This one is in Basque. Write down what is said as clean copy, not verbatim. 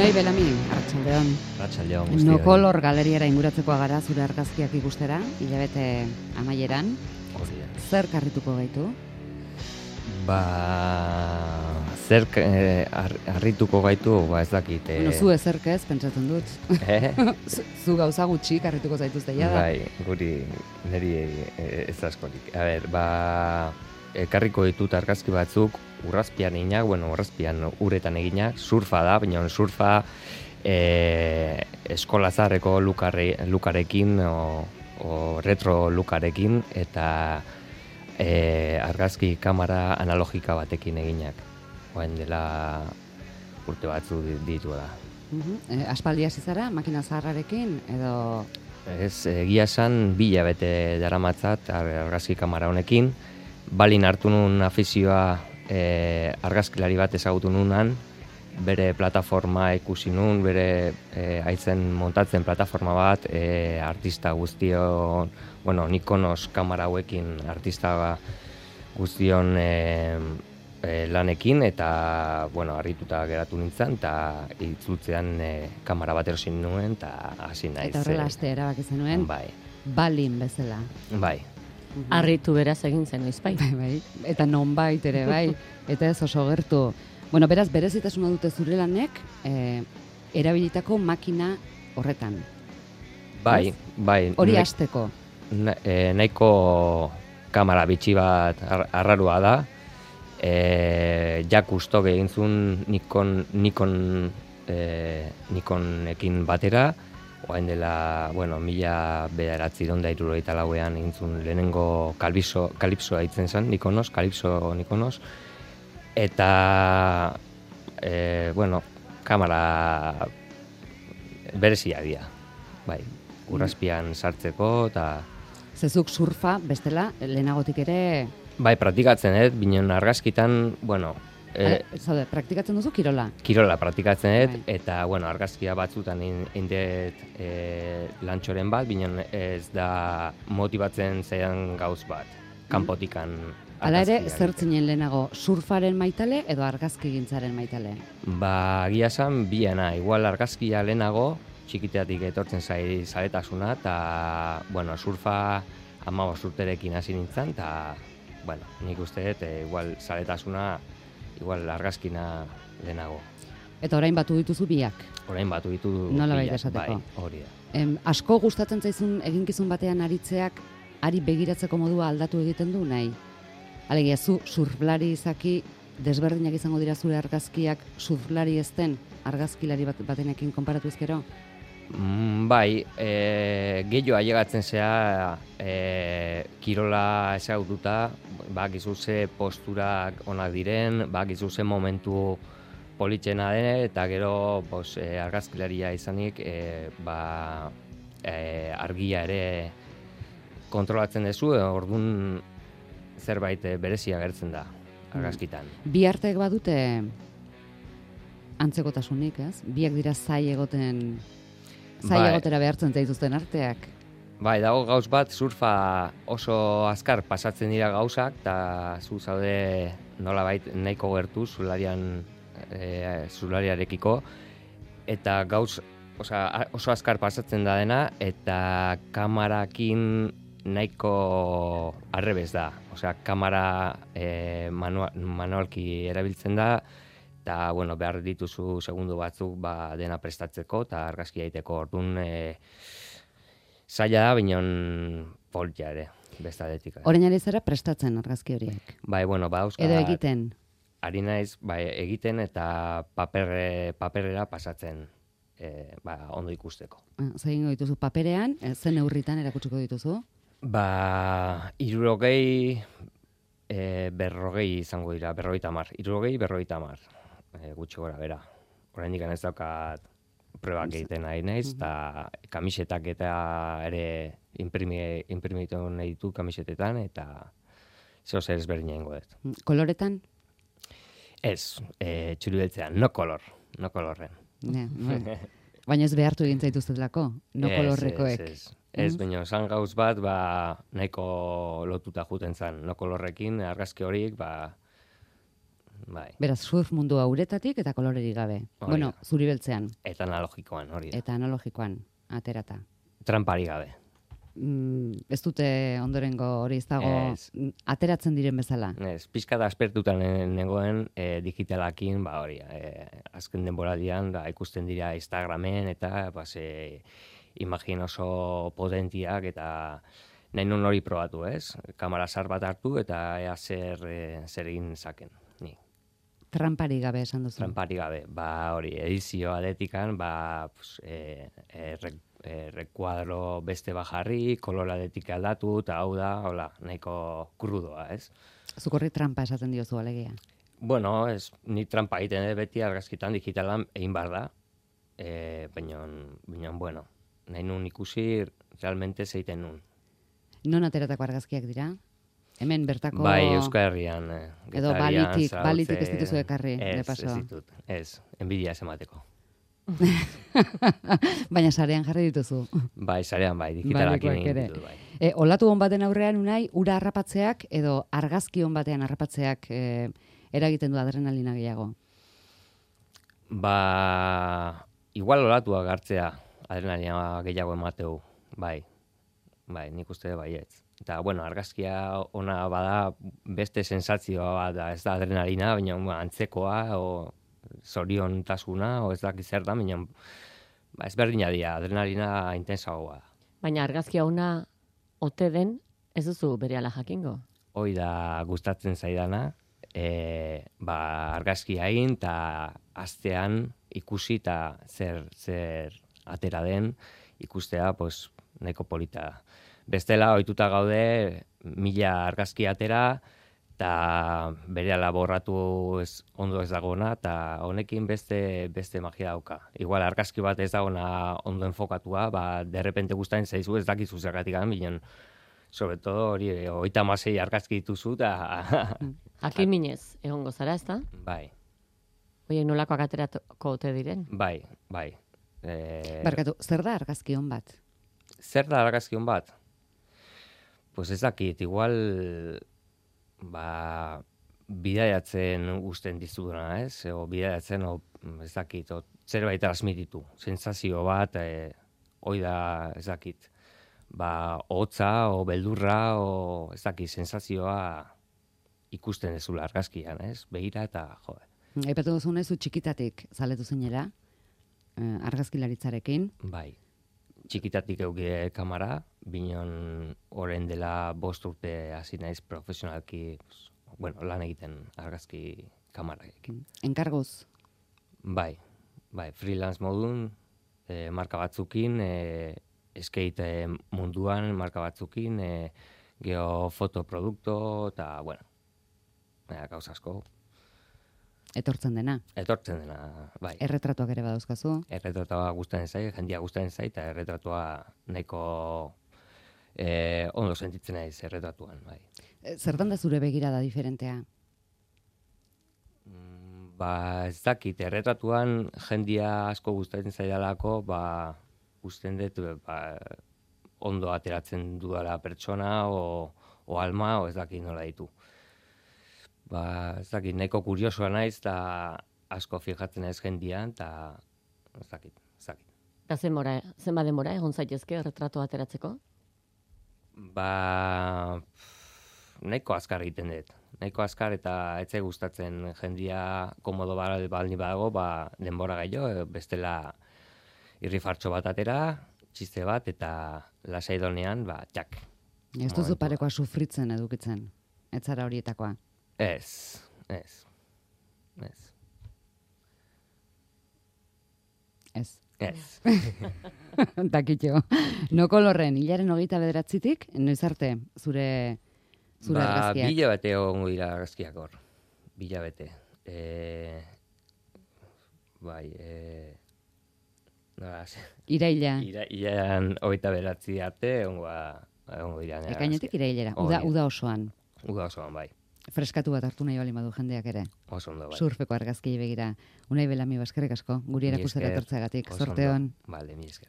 Unai Belami, arratsaldeon. Arratsaldeon guztioi. No Color galeriara inguratzeko gara zure argazkiak ikustera, hilabete amaieran. Hori da. Zer karrituko gaitu? Zer harrituko gaitu, ez dakit. Bueno, zu ezerk ez, pentsatzen dut. Zu gauza gutxi karrituko zaituzte jada. Bai, niri ez askorik. A ber, ekarriko ditut argazki batzuk, urrazpian eginak, urrazpian uretan eginak, surfa da, baina surfa eskolazarreko lukarekin o retro lukarekin eta argazki kamera analogika batekin eginak. Oain dela urte batzu ditu da. Aspaldi hasi zara, makina zaharrarekin, edo... Ez, egia esan 2 hilabete daramatzat argazki kamera honekin. Balin hartu nun afizioa argazkilari bat ezagutu nunan, bere plataforma ikusi nun, bere haitzen montatzen plataforma bat, artista guztion, Nikonos kamera hauekin artista guztion lanekin, eta, harrituta geratu nintzen, eta itzultzean kamera bat erosin nuen, eta hasi naiz. Eta horrela aste erabaki zenuen, bai. Balin bezala. Bai. Arritu beraz egin zen noiz bai. Bai, eta nonbait ere bai, eta ez oso gertu. Beraz, berezitasuna dute zure lanek, erabilitako makina horretan. Bai. Hori hasteko. Nahiko kamera bitxi bat arrarua da. Jak ustok egin zuen Nikonekin batera. Oain dela, 1974ean egin zuen lehenengo kalipsoa hitzen zen, Nikonos. Eta, kamera berezia dira. Bai, urrazpian sartzeko, eta... Zezuk surfa, bestela, lehenagotik ere... Bai, praktikatzen binen argazkitan, Zaude, praktikatzen duzu kirola? Kirola praktikatzen eta, argazkia batzutan indet lantxoren bat, binen ez da motibatzen zaidan gauz bat, kanpotikan argazkia. Hala ere, zertzinen lehenago, surfaren maitale edo argazki gintzaren maitale? Egia esan, biena, igual argazkia lehenago, txikiteatik etortzen zaletasuna, eta, surfa 15 urterekin hasi nintzen, eta, nik uste dut, igual zaletasuna, igual argazkina lehenago. Eta orain batu dituzu biak? Orain batu dituzu biak, nola baita esateko? Bai, hori da. Asko gustatzen zaizun eginkizun batean aritzeak, ari begiratzeko modua aldatu egiten du nahi? Alegia, zu surflari izaki, desberdinak izango dira zure argazkiak surflari ezten argazkilari batenekin konparatu ezkero? Bai, gehiago ailegatzen zea kirola ezagututa, bakizu ze posturak onak diren, bakizu ze momentu politxena den, eta gero argazkilaria izanik argia ere kontrolatzen duzu, orduan zerbait berezia gertzen da argazkitan. Bi arteek badute antzekotasunik, ez? Biak dira egotera behartzen zaituzten arteak. Bai, dago gauz bat, surfa oso azkar pasatzen dira gauzak, eta zu zaude nolabait nahiko gertu zulariarekiko, eta gauz oso azkar pasatzen da dena, eta kamarakin nahiko arrebez da. Kamara manualki erabiltzen da, eta behar dituzu segundu batzuk dena prestatzeko eta argazkia egiteko. Orduan zaila da, binon poltia ere, bestadetik. Orain ari zara prestatzen argazki horiek? Bai, bauzka... Edo egiten? Ari naiz, egiten eta paperera pasatzen ondo ikusteko. Zer egingo dituzu paperean, zen neurritan erakutsiko dituzu? 60, 40 izango dira, 50, 60, gutxi gora bera. Oraindik ez daukat probak egiten nahi naiz, eta kamisetak eta ere imprimitu nahi ditu kamisetetan, eta zeo zer ezberdin egingo dut. Koloretan? Ez, txuri-beltzean, no kolorren. Baina ez behartu egin zaituztetlako, no kolorrekoek. Ez, baina esan gauz bat, nahiko lotuta juten zen, no kolorrekin, argazki horiek, bai. Beraz, surf mundua uretatik eta kolorerik gabe. Hori Bueno, da. zuri beltzean Eta analogikoan, hori da. eta analogikoan aterata. Trampari gabe. Ez dute ondorengo hori ez dago Ez. ateratzen diren bezala. Ez, pixka da aspertutan negoen digitalakin, hori, azken denboraldian da, ikusten dira Instagramen eta imagin oso potentiak eta nahi nun hori probatu, ez? Kamara zar bat hartu eta ea zer egin zaken, ni. Trampari gabe esan duzu. Trampari gabe, hori, edizio adetikan, rekuadro beste bajarri, kolor adetik aldatu, eta hau da, hola, nahiko krudoa, ez? Zukorri trampa esaten diozu alegia. Bueno, ni trampa egiten dut beti argazkitan digitalan egin behar da, baina, bueno, nahi nun ikusi realmente zeiten nun. Non ateratako argazkiak dira? Hemen bertako... Bai, Euskal Herrian. Edo balitik ez dituzu ekarri, de paso. Ez ditut, enbidia ez emateko. Baina sarean jarri dituzu. Bai, sarean bai, digitalakin egin ere. ditut, bai. Olatu hon baten aurrean unai, ura harrapatzeak edo argazki hon batean harrapatzeak eragiten du adrenalina gehiago? Igual olatua gartzea adrenalina gehiago emateu, bai, nik uste baietz. Eta, bueno, argazkia ona bada beste sensazioa bat da, ez da adrenalina, baina antzekoa, o zoriontasuna, o ez dakit zer da, baina ezberdina dira, adrenalina intensagoa da. Baina argazkia ona ote den, ez duzu berehala jakingo? Hoi da gustatzen zaidana, argazkia egin, eta astean ikusi eta zer atera den, ikustea, nahiko polita da. Bestela, ohituta gaude, 1000 argazki atera, eta berehala borratu ondo ez dagona, eta honekin beste magia dauka. Igual argazki bat ez dagona ondo enfokatua, derrepente gustatzen zaizu ez dakizu zergatik bilen, sobre todo hori 36 argazki dituzu, eta... Jakin minez, egongo zara, ez da? Bai. Oiek nolakoak aterako ote diren? Bai. Barkatu, zer da argazki hon bat? Zer da argazki hon bat? Pues ez dakit, igual bidaiatzen usten dizuduna, ez? O bidaiatzen, ez dakit, zerbait transmititu. Sensazio bat, hoi da, ez dakit, hotza, o beldurra, o ez dakit, sensazioa ikusten dezula argazkian, ez? Begira eta, jode. Aipatu duzunez, zu txikitatik zaletu zinera, argazkilaritzarekin. Bai. Txikitatik euki kamara, binon orain dela 5 urte hasi naiz profesionalki, lan egiten argazki kamararekin. Enkarguz? Bai, freelance modun, marka batzukin, skate munduan marka batzukin, geho fotoprodukto, eta, gauza asko. Etortzen dena? Etortzen dena, bai. Erretratuak ere badauzkazu? Erretratua gustatzen zait, jendia gustatzen zait, eta erretratua nahiko ondo sentitzen naiz erretratuan, bai. Zertan da zure begirada diferentea? Ez dakit, erretratuan jendia asko gustatzen zaidalako, usten dut, ondo ateratzen dudala pertsona, o alma, o ez dakit nola ditu. Ez dakit, nahiko kuriosoa naiz, eta asko fijatzen ez jendian, eta ez dakit. Eta zenba denbora egon zaitezke erretratu ateratzeko? Nahiko azkar egiten dut. Nahiko azkar eta etzai gustatzen jendia komodo balni badago, denbora gehiago, bestela irrifartxo bat atera, txiste bat, eta lasai donean, txak. Ez duzu parekoa sufritzen edukitzen, ez zara horietakoa? Ez. Takitxo. No kolorren, hilaren 29-tik, noiz arte zure argazkiak? Bila bete hongo dira argazkiak hor. Bila bete. Iraila. Irailan 29 arte hongo dira. Ekainetik irailera, uda osoan. Uda osoan, bai. Freskatu bat hartu nahi bali badu jendeak ere. Oso ondo, bai. Surfeko argazkiei begira. Unai Belami, eskerrik asko, guri erakustera etortzeagatik. Zorte on. Bale, mi esker.